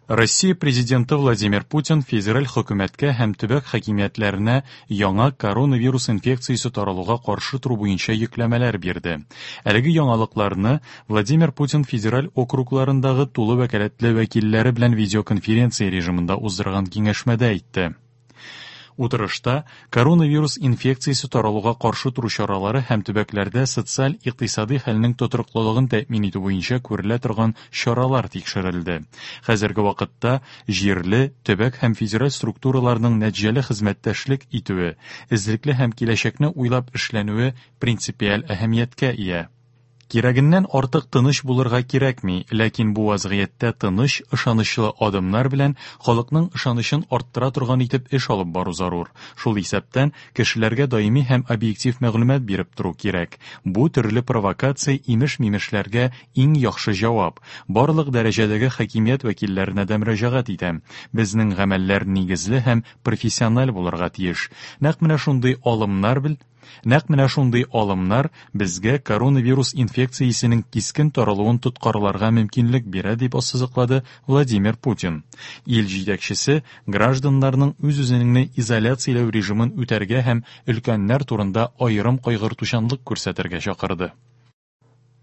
Россия Президенты Владимир Путин федераль хөкүмәткә һәм төбәк хакимиятләренә яңа коронавирус инфекциясе таралуга каршы тору буенча йөкләмәләр бирде. Әлеге яңалыкларны Владимир Путин федераль округларындагы тулы вәкаләтле вәкилләре белән видеоконференция режимында уздырган киңәшмәдә әйтте. Утырышта коронавирус инфекциясе таралуга каршы тору чаралары һәм төбәкләрдә социаль-икътисадый хәлнең тотрыклылыгын тәэмин итү буенча күрелә торган чаралар тикшерелде. Хәзерге вакытта җирле, төбәк һәм федераль структураларның нәтиҗәле хезмәттәшлек итүе, эзлекле һәм киләчәкне уйлап эшләнүе принципиаль әһәмияткә ия. Кирәгеннән артык тыныч булырга кирәкми, ләкин бу вазгыятьтә тыныч, ышанычлы адымнар белән халыкның ышанычын арттыра торган итеп эш алып бару зарур. Шул исәптән, кешеләргә даими һәм объектив мәгълүмат биреп тору кирәк. Бу төрле провокация, имеш-мимешләргә иң яхшы җавап. Барлык дәрәҗәдәге хакимият вәкилләренә дә мөрәҗәгать итәм. Безнең гамәлләр нигезле һәм профессиональ булырга тиеш. Нәкъ менә шундый алымнар бел Нәкъ менә шундый алымнар безгә коронавирус инфекциясенең кискен таралуын тоткарларга мөмкинлек бирә, дип ассызыклады Владимир Путин. Ил җитәкчесе гражданнарның үз-үзеңне изоляцияләү режимын үтәргә һәм өлкәннәр турында аерым кайгыртучанлык күрсәтергә чакырды.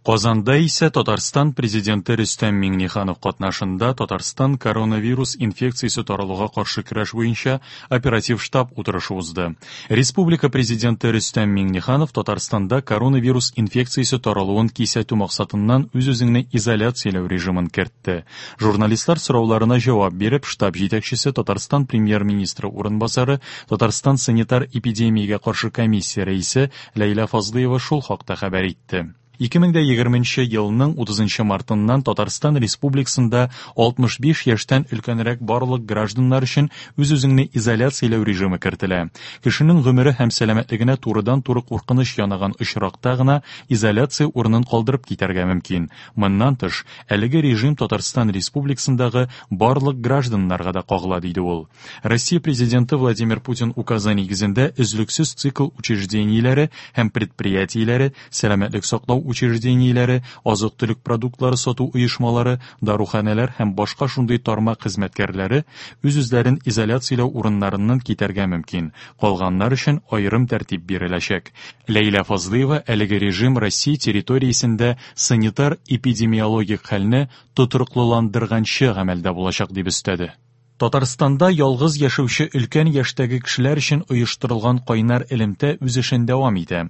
Казанда исә Татарстан Президенты Рөстәм Миңнеханов катнашында Татарстан коронавирус инфекциясе таралуга каршы көрәш буенча оператив штаб утырышы узды. Республика Президенты Рөстәм Миңнеханов Татарстанда коронавирус инфекциясе таралуын кисәтү максатыннан үз-үзеңне изоляцияләү режимын кертте. Журналистлар сорауларына җавап биреп, штаб җитәкчесе Татарстан Премьер-министры урынбасары, Татарстан санитар-эпидемиягә каршы комиссия рәисе Ләйлә Фазлыева шул хакта хәбәр итте. 2020 елның 30 мартыннан Татарстан Республикасында 65 яшьтән өлкәнрәк барлык гражданнар өчен үз-үзеңне изоляцияләү режимы кертелә. Кешенең гомере һәм сәламәтлегенә турыдан-туры куркыныч янаган очракта гына изоляция урынын калдырып китәргә мөмкин. Моннан тыш, әлеге режим Татарстан Республикасындагы барлык гражданнарга да кагыла, диде ул. Россия Президенты Владимир Путин указы нигезендә өзлексез цикл учреждениеләре һәм предприятиеләре, сәламәтлек саклау учреждениеләре, азык-төлек продуктлары сату оешмалары, даруханәләр һәм башка шундый тармак хезмәткәрләре үз-үзләрен изоляцияләү урыннарыннан китәргә мөмкин. Калганнар өчен аерым тәртип биреләчәк. Ләйлә Фазлыева әлеге режим Россия территориясендә санитар-эпидемиологик хәлне тотрыклыландырганчы гамәлдә булачак дип өстәде. Татарстанда ялгыз яшәүче өлкән яшьтәге кешеләр өчен оештырылган кайнар элемтә үз эшен дәвам итә.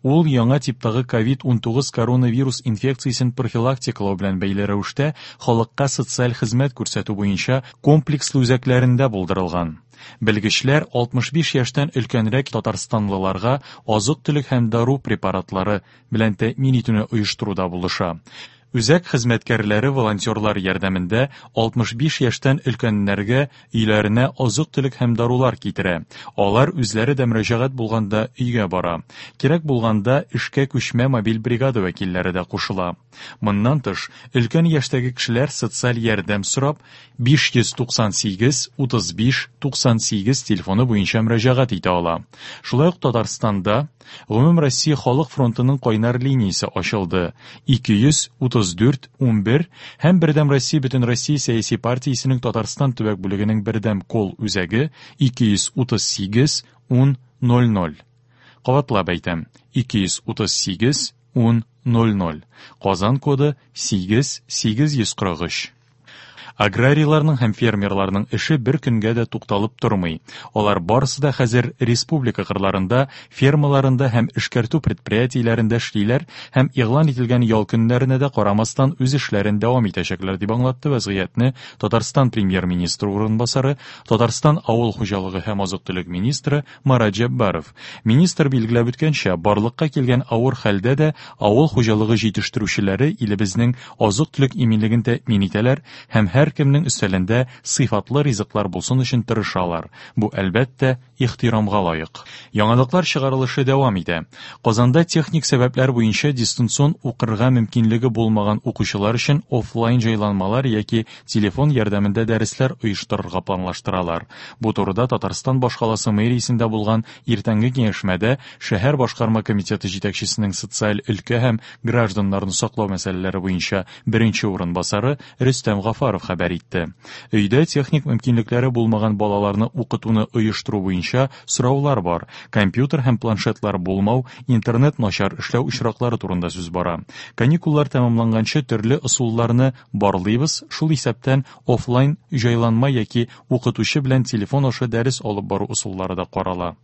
Ул яңа типтагы ковид-19 коронавирус инфекциясен профилактикалау белән бәйле рәвештә халыкка социаль хезмәт күрсәтү буенча комплекслы үзәкләрендә булдырылган. Белгечләр 65 яшьтән өлкәнрәк татарстанлыларга азык-төлек һәм дару препаратлары белән тәэмин итүне оештыруда булыша. Үзәк хезмәткәрләре волонтерлар ярдәмендә 65 яшьтән өлкәннәргә өйләренә азык-төлек һәм дарулар китерә. Алар үзләре дә мөрәҗәгать булганда өйгә бара. Кирәк булганда эшкә күчмә мобиль бригада вәкилләре дә кушыла. Моннан тыш, өлкән яшьтәге кешеләр социаль ярдәм сорап 598 35 98 телефоны буенча мөрәҗәгать итә ала. Шулай ук Татарстанда Гомумроссия халык фронтының кайнар линиясе ачылды. 234 11 һәм Бердәм Россия Бөтенроссия сәяси партиясенең Татарстан төбәк бүлегенең бердәм кол үзәге 238 10 00. Кабатлап әйтәм, 238 10 00. Казан коды 8 843. Аграрийларның һәм фермерларның эше бер көнгә дә тукталып тормый. Алар барысы да хәзер республика кырларында, фермаларында һәм эшкәртү предприятиеләрендә эшлиләр һәм игълан ителгән ял көннәренә дә карамастан үз эшләрен дәвам итәчәкләр, дип аңлатты вәзгыятьне Татарстан премьер-министры урынбасары, Татарстан авыл хуҗалыгы һәм азык-төлек министры Марат Җәббаров. Министр билгеләп үткәнчә, барлыкка килгән авыр хәлдә дә авыл хуҗалыгы җитештерүчеләре илебезнең азык-төлек иминлеген тәэмин итәләр һәм һәркемнең өстәлендә сыйфатлы ризыклар булсын өчен тырышалар. Бу, әлбәттә, ихтирамга лаек. Яңалыклар чыгарылышы дәвам итә. Казанда техник сәбәпләр буенча дистанцион укырга мөмкинлеге булмаган укучылар өчен офлайн җайланмалар яки телефон ярдәмендә дәресләр оештырырга планлаштыралар. Бу турыда Татарстан башкаласы мэриясендә булган иртәнге киңәшмәдә шәһәр башкарма комитеты җитәкчесенең социаль өлкә һәм гражданнарны саклау мәсьәләләре буенча беренче урынбасары Рөстәм Гафаров хәбәр хәбәр итте. Өйдә техник мөмкинлекләре булмаган балаларны укытуны оештыру буенча сораулар бар. Компьютер һәм планшетлар булмау, интернет начар эшләү очраклары турында сүз бара. Каникуллар тәмамланганчы төрле ысулларны барлыйбыз, шул исәптән офлайн җайланма яки укытучы белән телефон аша дәрес алып бару ысуллары да карала,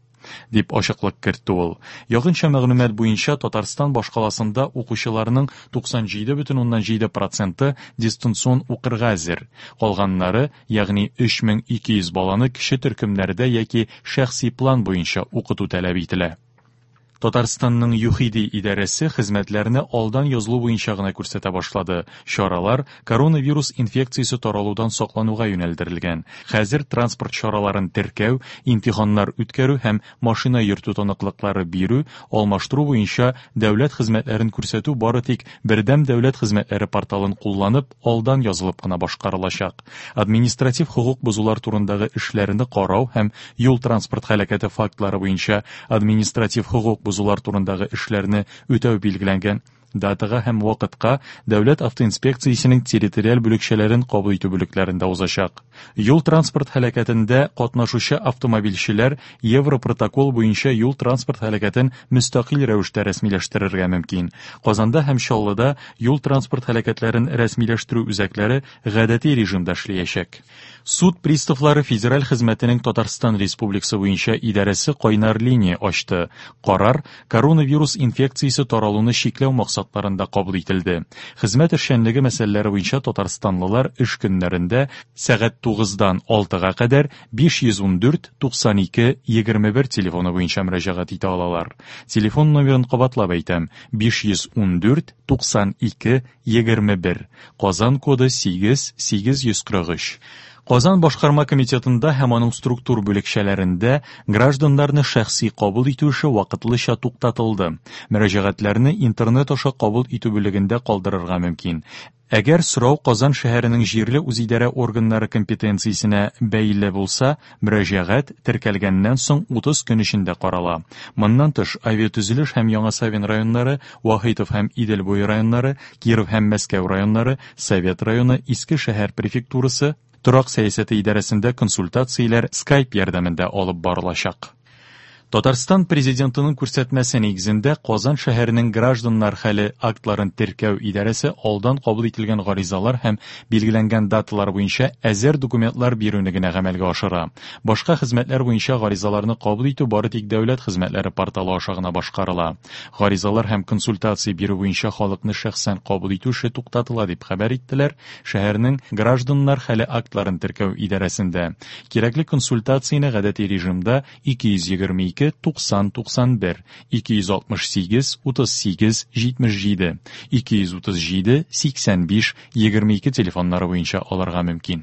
дип ачыклык кертте ул. Якынча мәгълүмат буенча, Татарстан башкаласында укучыларның 97,7 проценты дистанцион укырга әзер. Калганнары, ягъни 3200 баланы кече төркемнәрдә яки шәхси план буенча укыту таләп ителә. Татарстанның ЮХИДИ идарәсе хезмәтләрне алдан язылу буенча гына күрсәтә башлады. Чаралар коронавирус инфекциясе таралудан саклануга юнәлдерелгән. Хәзер транспорт чараларын теркәү, имтиханнар үткәрү һәм машина йөртү таныклыклары бирү, алмаштыру буенча дәүләт хезмәтләрен күрсәтү бары тик Бердәм дәүләт хезмәтләре порталын кулланып, алдан язылып кына башкарылачак. Административ хокук бозулар турындагы эшләрне карау һәм юл-транспорт һәлакәте фактлары буенча административ хокук бозулар турындагы эшләрне үтәү билгеләнгән датага һәм вакытка Дәүләт автоинспекциясенең территориаль бүлекчәләрен кабул итү бүлекләрендә узачак. Юл-транспорт һәлакәтендә катнашучы автомобильчеләр Европротокол буенча юл-транспорт һәлакәтен мөстәкыйль рәвештә рәсмиләштерергә мөмкин. Казанда һәм Чаллыда юл-транспорт һәлакәтләрен рәсмиләштерү үзәкләре гадәти режимда эшләячәк. Суд приставлары федераль хезмәтенең Татарстан Республикасы буенча идарәсе кайнар линия ачты. Карар коронавирус инфекциясе таралуны чикләү максатларында кабул ителде. Хезмәт эшчәнлеге мәсьәләләре буенча татарстанлылар эш көннәрендә сәгать 9-дан 6-га кадәр 514 92 21 телефоны буенча мөрәҗәгать итә алалар. Телефон номерын кабатлап әйтәм: 514 92 21, Казан коды 8 843. Казан башкарма комитетында һәм аның структур бүлекчәләрендә гражданнарны шәхси кабул итү эше вакытлыча туктатылды. Мөрәҗәгатьләрне интернет аша кабул итү бүлегендә калдырырга мөмкин. Әгәр сорау Казан шәһәренең җирле үзидарә органнары компетенциясенә бәйле булса, мөрәҗәгать теркәлгәннән соң 30 көн эчендә карала. Моннан тыш, Авиатөзелеш һәм Яңа Савин районнары, Вахитов һәм Идел буе районнары, Киров һәм Мәскәү районнары, Совет районы, Иске шәһәр префектурасы, Торак сәясәте идарәсендә консультацияләр Skype ярдәмендә алып барылачак. Татарстан Президентының күрсәтмәсе нигезендә Казан шәһәренең гражданнар хәле актларын теркәү идарәсе алдан кабул ителгән гаризалар һәм билгеләнгән даталар буенча әзер документлар бирүне генә гамәлгә ашыра. Башка хезмәтләр буенча гаризаларны кабул итү бары тик дәүләт хезмәтләре порталы аша гына башкарыла. Гаризалар һәм консультация бирү буенча халыкны шәхсән кабул итү эше туктатыла, дип хәбәр иттеләр шәһәрнең гражданнар хәле актларын теркәү идарәсендә. Кирәкле консультацияне гадәти режимда 222 90 91, 268 38 77, 237 85 22 телефоннары буенча алырга мөмкин.